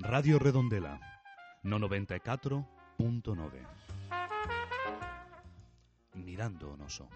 Radio Redondela, no 94.9. Mirando o noso.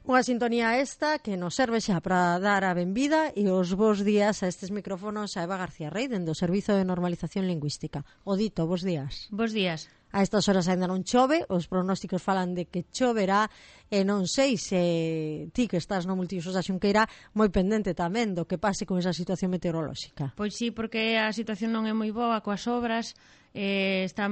Unha sintonía esta que nos serve xa para dar a benvida e os bons días a estes micrófonos a Eva García Rey dende o Servizo de Normalización Lingüística. Odito, bons días. Bos días. A estas horas ainda non chove, os pronósticos falan de que choverá e non sei se ti que estás no multiusos da Xunqueira moi pendente tamén do que pase con esa situación meteorolóxica. Pois sí, porque a situación non é moi boa coas obras, está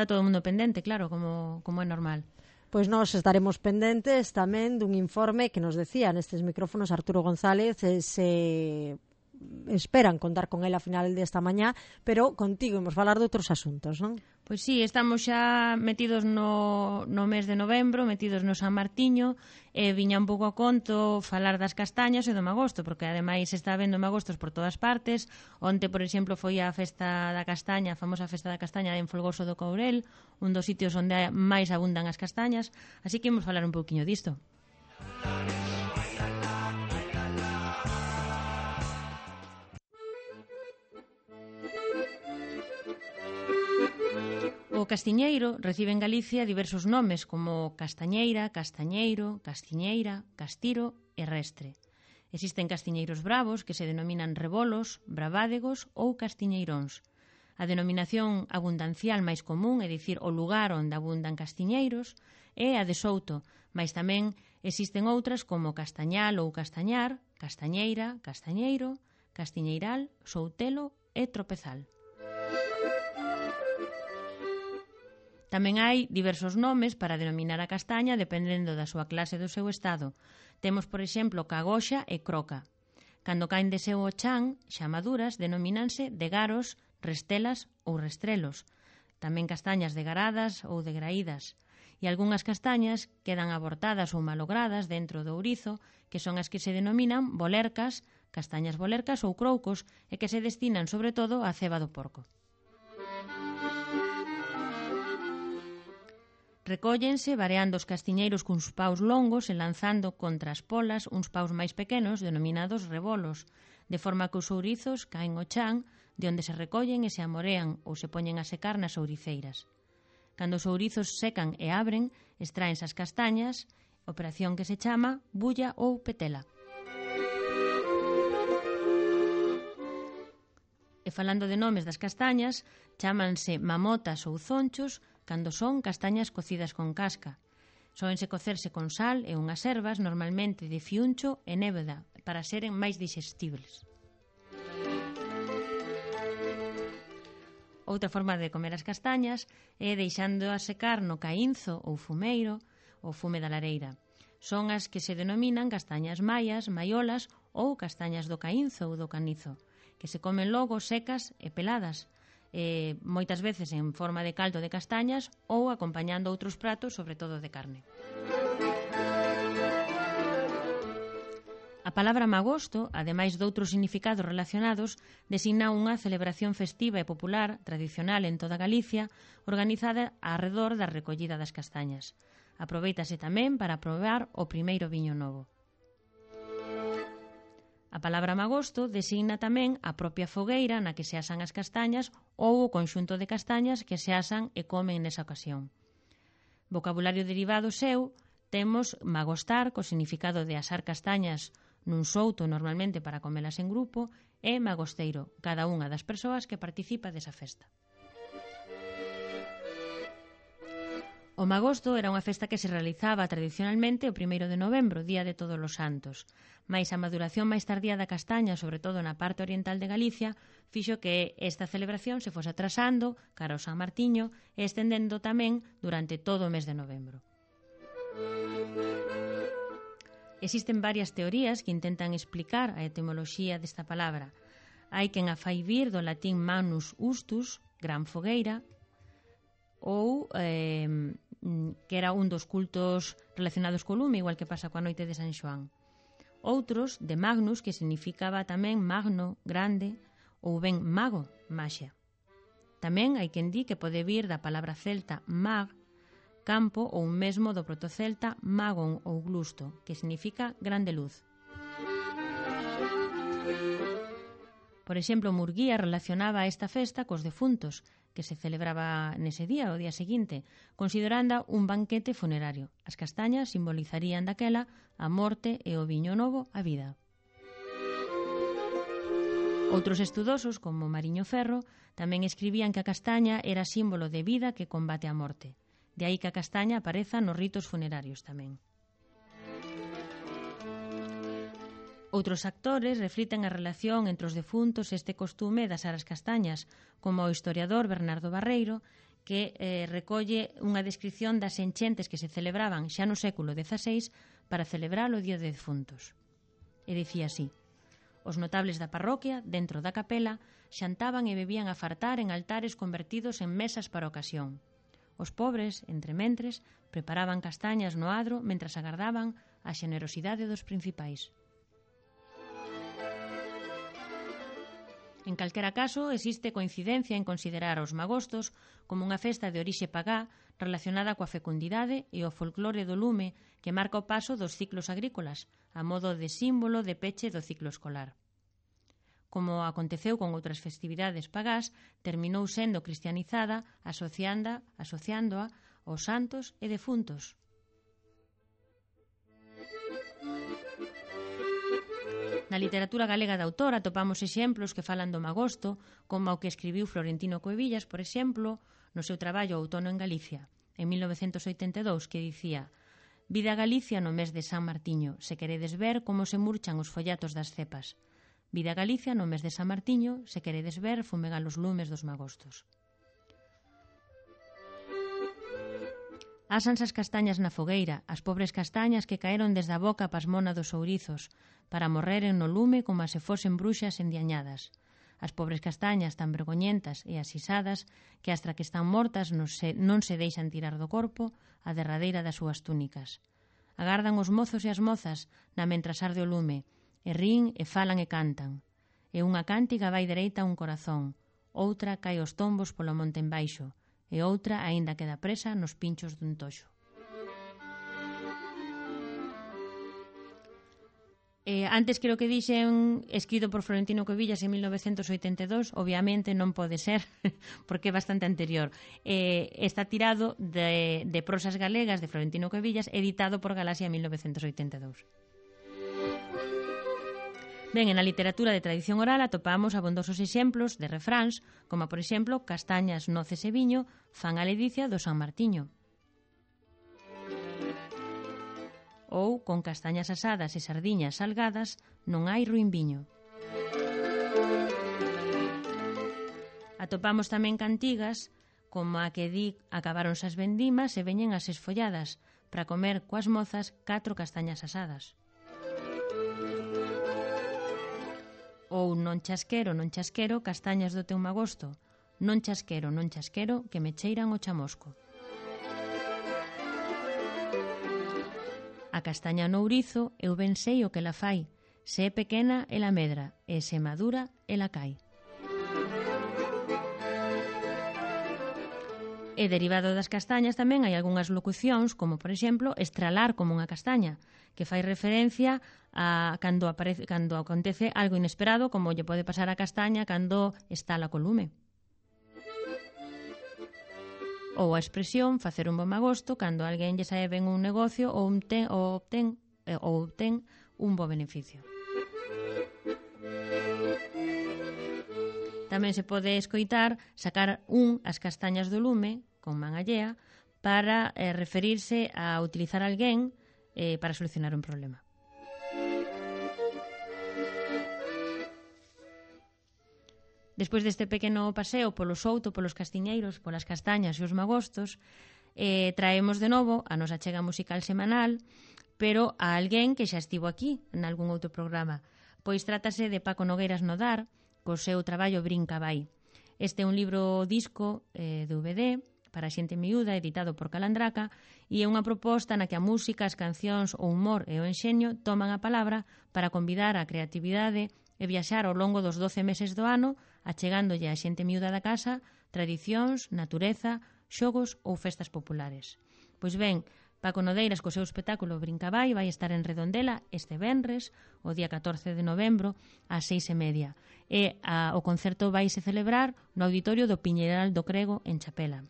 todo o mundo pendente, claro, como é normal. Pois nós estaremos pendentes tamén dun informe que nos decía nestes micrófonos Arturo González, se esperan contar con ele a final desta mañá, pero contigo imos falar de outros asuntos, non? Pois sí, estamos xa metidos no mes de novembro, metidos no San Martiño, e viña un pouco a conto falar das castañas e do magosto, porque ademais está habendo magostos por todas partes. Onte, por exemplo, foi a festa da castaña, a famosa festa da castaña en Folgoso do Courel, un dos sitios onde máis abundan as castañas, así que imos falar un pouquiño disto. O castiñeiro recibe en Galicia diversos nomes como castañeira, castañeiro, castiñeira, castiro e restre. Existen castiñeiros bravos que se denominan rebolos, bravádegos ou castiñeiróns. A denominación abundancial máis común, é dicir, o lugar onde abundan castiñeiros, é a de souto, mais tamén existen outras como castañal ou castañar, castañeira, castañeiro, castiñeiral, soutelo e tropezal. Tamén hai diversos nomes para denominar a castaña dependendo da súa clase e do seu estado. Temos, por exemplo, cagoxa e croca. Cando caen de seu o chan, xa maduras, denomínanse degaros, restelas ou restrelos. Tamén castañas degaradas ou degraídas. E algunhas castañas quedan abortadas ou malogradas dentro do ourizo, que son as que se denominan bolercas, castañas bolercas ou croucos, e que se destinan sobre todo á ceba do porco. Recóllense variando os castiñeiros cuns paus longos e lanzando contra as polas uns paus máis pequenos denominados rebolos, de forma que os ourizos caen ao chan, de onde se recollen e se amorean ou se poñen a secar nas ouriceiras. Cando os ourizos secan e abren, extraense as castañas, operación que se chama bulla ou petela. E falando de nomes das castañas, chámanse mamotas ou zonchos cando son castañas cocidas con casca. Sóense cocerse con sal e unhas ervas, normalmente de fiuncho e nébeda, para seren máis dixestibles. Outra forma de comer as castañas é deixándoas secar no caínzo ou fumeiro, ou fume da lareira. Son as que se denominan castañas maias, maiolas ou castañas do caínzo ou do canizo, que se comen logo secas e peladas, moitas veces en forma de caldo de castañas ou acompañando outros pratos, sobre todo de carne. A palabra magosto, ademais doutros significados relacionados, designa unha celebración festiva e popular tradicional en toda Galicia, organizada arredor da recollida das castañas. Aprovéitase tamén para probar o primeiro viño novo. A palabra magosto designa tamén a propia fogueira na que se asan as castañas ou o conxunto de castañas que se asan e comen nesa ocasión. Vocabulario derivado seu, temos magostar, co significado de asar castañas nun souto normalmente para comelas en grupo, e magosteiro, cada unha das persoas que participa desa festa. O magosto era unha festa que se realizaba tradicionalmente o 1 de novembro, día de Todos os Santos, mais a maduración máis tardía da castaña, sobre todo na parte oriental de Galicia, fixo que esta celebración se fose atrasando cara ao San Martiño e estendendo tamén durante todo o mes de novembro. Existen varias teorías que intentan explicar a etimoloxía desta palabra. Hai quen a fai vir do latín manus ustus, gran fogueira, ou que era un dos cultos relacionados co lume, igual que pasa coa noite de San Xoán. Outros, de magnus, que significaba tamén magno, grande, ou ben mago, maxia. Tamén hai quen di que pode vir da palabra celta mag, campo, ou mesmo do protocelta magon ou glusto, que significa grande luz. Por exemplo, Murguía relacionaba esta festa cos defuntos, que se celebraba nese día, o día seguinte, considerando un banquete funerario. As castañas simbolizarían daquela a morte e o viño novo a vida. Outros estudosos, como Mariño Ferro, tamén escribían que a castaña era símbolo de vida que combate a morte. De aí que a castaña apareza nos ritos funerarios tamén. Outros actores refliten a relación entre os defuntos e este costume das aras castañas, como o historiador Bernardo Barreiro, que recolle unha descripción das enchentes que se celebraban xa no século XVI para celebrar o Día de Defuntos. E dicía así: os notables da parroquia, dentro da capela, xantaban e bebían a fartar en altares convertidos en mesas para a ocasión. Os pobres, entre mentres, preparaban castañas no adro mentras agardaban a xenerosidade dos principais. En calquera caso, existe coincidencia en considerar os magostos como unha festa de orixe pagá relacionada coa fecundidade e o folclore do lume que marca o paso dos ciclos agrícolas, a modo de símbolo de peche do ciclo escolar. Como aconteceu con outras festividades pagás, terminou sendo cristianizada asociándoa aos santos e defuntos. Na literatura galega de autor atopamos exemplos que falan do magosto, como o que escribiu Florentino Cuevillas, por exemplo, no seu traballo Outono en Galicia, en 1982, que dicía: «Vide a Galicia no mes de San Martiño, se queredes ver como se murchan os follatos das cepas. Vide a Galicia no mes de San Martiño, se queredes ver fumegar os lumes dos magostos». Ásanse as castañas na fogueira, as pobres castañas que caeron desde a boca pasmona dos ourizos, para morreren no lume como se fosen bruxas endiañadas. As pobres castañas tan vergoñentas e asisadas que astra que están mortas non se deixan tirar do corpo a derradeira das súas túnicas. Agardan os mozos e as mozas na mentras arde o lume, e rín e falan e cantan. E unha cántiga vai dereita a un corazón, outra cae os tombos polo monte embaixo, e outra aínda queda presa nos pinchos dun toxo. Antes creo que dixen escrito por Florentino Cuevillas en 1982, obviamente non pode ser porque é bastante anterior. Está tirado de Prosas galegas de Florentino Cuevillas, editado por Galaxia en 1982. Ben, na literatura de tradición oral atopamos abondosos exemplos de refráns, como por exemplo castañas, noces e viño fan a ledicia do San Martiño. Ou con castañas asadas e sardiñas salgadas non hai ruín viño. Atopamos tamén cantigas como a que di acabáronse as vendimas e veñen as esfolladas para comer coas mozas 4 castañas asadas. Ou non chasquero, castañas do teu magosto, non chasquero, que me cheiran o chamosco. A castaña no ourizo eu ben sei o que la fai, se é pequena ela medra, e se madura ela cai. E derivado das castañas tamén hai algunhas locucións, como por exemplo estralar como unha castaña, que fai referencia a cando acontece algo inesperado, como lle pode pasar a castaña cando estala co lume. Ou a expresión facer un bo magosto cando alguén lle sae ben un negocio ou obtén un bo beneficio. Tamén se pode escoitar sacar as castañas do lume con man allea para referirse a utilizar alguén para solucionar un problema. Despois deste pequeno paseo polo souto, polos castiñeiros, polas castañas e os magostos, traemos de novo a nosa chega musical semanal, pero a alguén que xa estivo aquí en algún outro programa. Pois trátase de Paco Nogueiras Nodar, co seu traballo Brinca vai. Este é un libro disco DVD para xente miúda, editado por Calandraca, e é unha proposta na que a música, as cancións, o humor e o enxeño toman a palabra para convidar a creatividade e viaxar ao longo dos 12 meses do ano achegándolle a xente miúda da casa tradicións, natureza, xogos ou festas populares. Pois ben, Paco Nodeiras co seu espectáculo Brincabai vai estar en Redondela este venres, o día 14 de novembro, ás 6:30. E o concerto vaise celebrar no auditorio do Piñeiral do Crego en Chapela.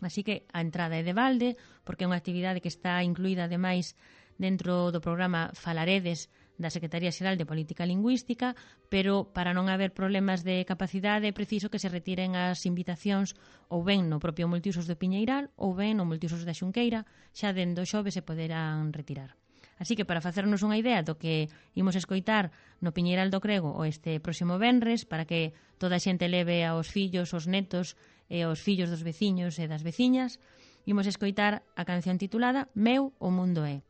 Así que a entrada é de balde, porque é unha actividade que está incluída ademais dentro do programa Falaredes da Secretaría Xeral de Política Lingüística, pero para non haber problemas de capacidade é preciso que se retiren as invitacións ou ben no propio multiusos do Piñeiral ou ben no multiusos da Xunqueira, xa dende o xoves se poderán retirar. Así que para facernos unha idea do que imos escoitar no Piñeiral do Crego o este próximo venres, para que toda a xente leve aos fillos, os netos e aos fillos dos veciños e das veciñas, imos escoitar a canción titulada Meu o mundo é.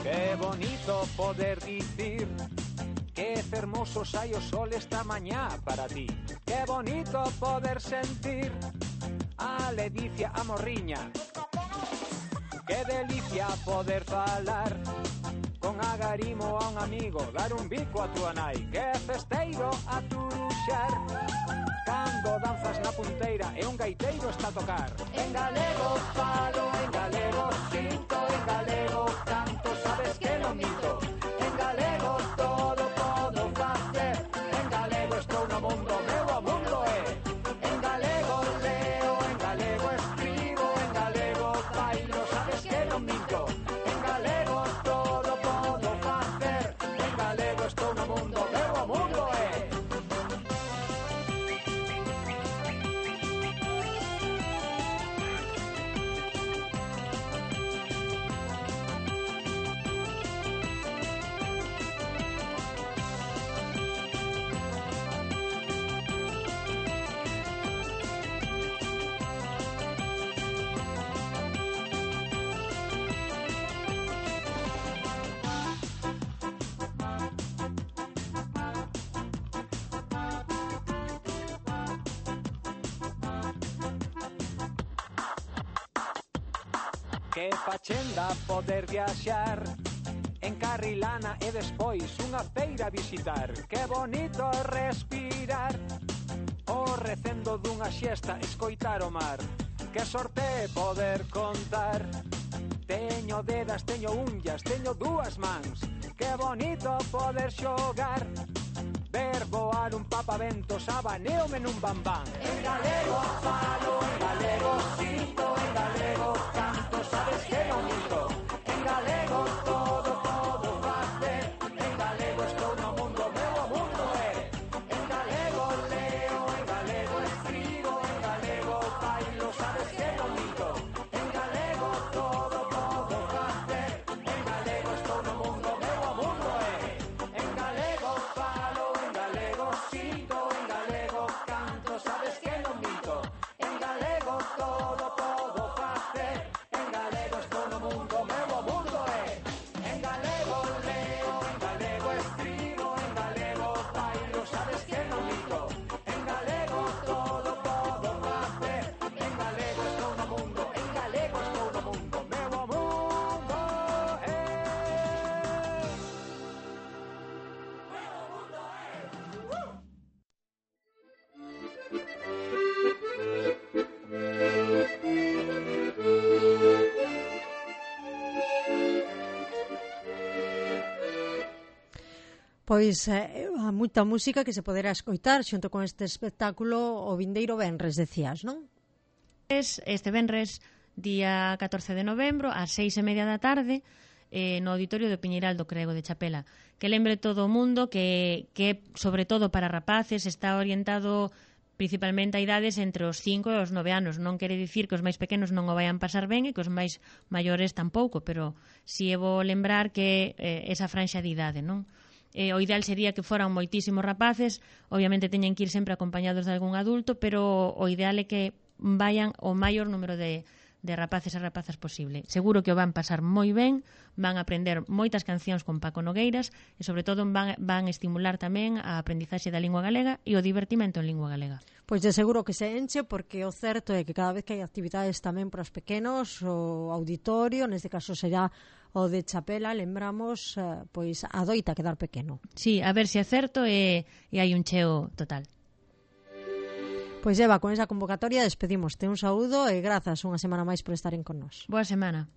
Qué bonito poder dicir que hermoso sai o sol esta mañá para ti. Qué bonito poder sentir a ledicia a morriña. Qué delicia poder falar con agarimo a un amigo, dar un bico a tua nai. Qué festeiro a turuxar cando danzas na punteira e un gaiteiro está a tocar. En galego falo, en galego sinto, en galego canto, sabes que non mito. En galego todo podo facer, en galego estou no mundo, meu o mundo é. En galego leo, en galego escribo, en galego bailo, sabes que non mito. En galego todo podo facer, en galego estou no mundo, meu o mundo é. Que fachenda poder viaxar en Carrilana e despois unha feira visitar. Que bonito respirar o recendo dunha xesta, escoitar o mar. Que sorte poder contar. Teño dedas, teño unllas, teño dúas mans. Que bonito poder xogar, ver voar un papaventos, abaneome nun bambán. En galego falo, en galego sinto, en galego canto, sabes que non minto. En galego todo podo facer, en galego estou no mundo, meu o mundo é. En galego leo, en galego escribo, en galego bailo, sabes que non minto. En galego todo podo facer, en galego estou no mundo, meu o mundo é. En galego falo, en galego sinto, en galego canto, sabes que non minto. En galego todo podo facer, en galego estou no mundo, meu o mundo é. En galego leo, en galego escribo, en galego bailo, sabes que non minto. En galego todo podo facer, en galego estou no mundo, en galego estou no mundo, meu o mundo é. Pois a moita música que se poderá escoitar xunto con este espectáculo o vindeiro venres, decías, non? Este venres, día 14 de novembro, ás 6:30 da tarde, no auditorio do Piñeiral do Crego de Chapela. Que lembre todo o mundo que sobre todo para rapaces, está orientado principalmente a idades entre os 5 e os 9 anos. Non quere dicir que os máis pequenos non o vayan pasar ben e que os máis maiores tampouco, pero si é bo lembrar que esa franxa de idade, non? O ideal sería que foran moitísimos rapaces, obviamente teñen que ir sempre acompañados de algún adulto, pero o ideal é que vayan o maior número de de rapaces e rapazas posible. Seguro que o van pasar moi ben, van aprender moitas cancións con Paco Nogueiras e, sobre todo, van estimular tamén a aprendizaxe da lingua galega e o divertimento en lingua galega. Pois de seguro que se enche, porque o certo é que cada vez que hai actividades tamén para os pequenos, o auditorio, neste caso será o de Chapela, lembramos, pois adoita quedar pequeno. Sí, a ver se acerto e hai un cheo total. Pois Eva, con esa convocatoria despedimoste. Un saúdo e grazas unha semana máis por estaren con nós. Boa semana.